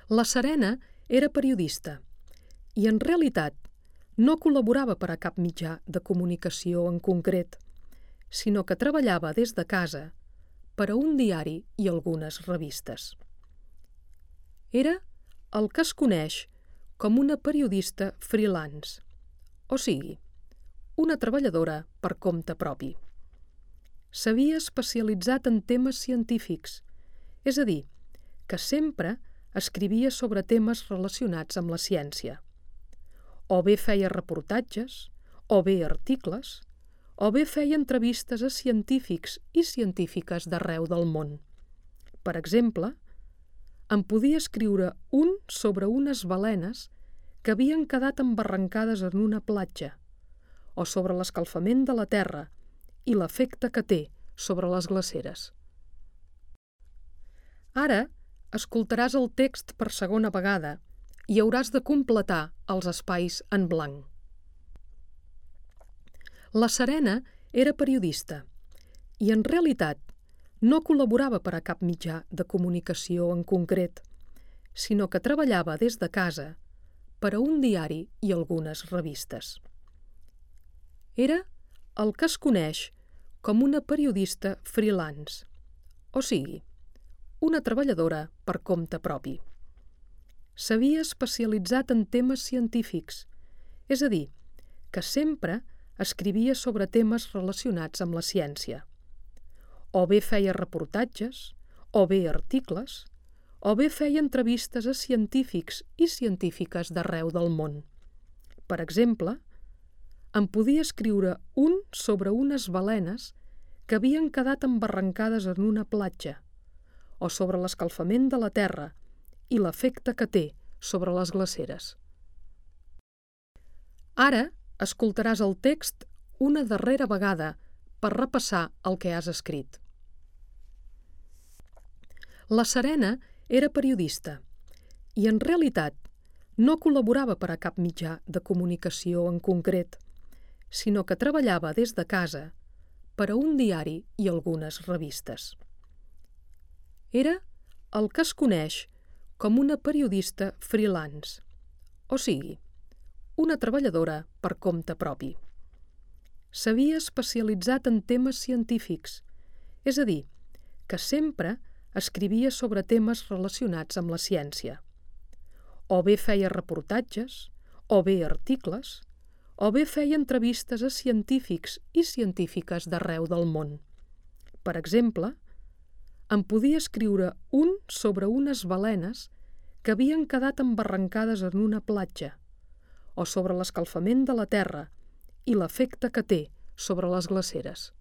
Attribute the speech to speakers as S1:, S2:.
S1: La Serena era periodista i, en realitat, no col·laborava per a cap mitjà de comunicació en concret, sinó que treballava des de casa per a un diari i algunes revistes. Era el que es coneix com una periodista freelance, o sigui, una treballadora per compte propi. S'havia especialitzat en temes científics, és a dir, que sempre escrivia sobre temes relacionats amb la ciència. O bé feia reportatges, o bé articles, o bé feia entrevistes a científics i científiques d'arreu del món. Per exemple, en podia escriure un sobre unes balenes que havien quedat embarrancades en una platja, o sobre l'escalfament de la Terra i l'efecte que té sobre les glaceres. Ara escoltaràs el text per segona vegada i hauràs de completar els espais en blanc. La Serena era periodista i, en realitat, no col·laborava per a cap mitjà de comunicació en concret, sinó que treballava des de casa per a un diari i algunes revistes. Era el que es coneix com una periodista freelance, o sigui, una treballadora per compte propi. S'havia especialitzat en temes científics, és a dir, que sempre escrivia sobre temes relacionats amb la ciència. O bé feia reportatges, o bé articles, o bé feia entrevistes a científics i científiques d'arreu del món. Per exemple, en podia escriure un sobre unes balenes que havien quedat embarrancades en una platja, o sobre l'escalfament de la Terra i l'efecte que té sobre les glaceres. Ara escoltaràs el text una darrera vegada per repassar el que has escrit. La Serena era periodista i, en realitat, no col·laborava per a cap mitjà de comunicació en concret, sinó que treballava des de casa per a un diari i algunes revistes. Era el que es coneix com una periodista freelance, o sigui, una treballadora per compte propi. S'havia especialitzat en temes científics, és a dir, que sempre escrivia sobre temes relacionats amb la ciència. O bé feia reportatges, o bé articles, o bé feia entrevistes a científics i científiques d'arreu del món. Per exemple, en podia escriure un sobre unes balenes que havien quedat embarrancades en una platja, o sobre l'escalfament de la Terra i l'efecte que té sobre les glaceres.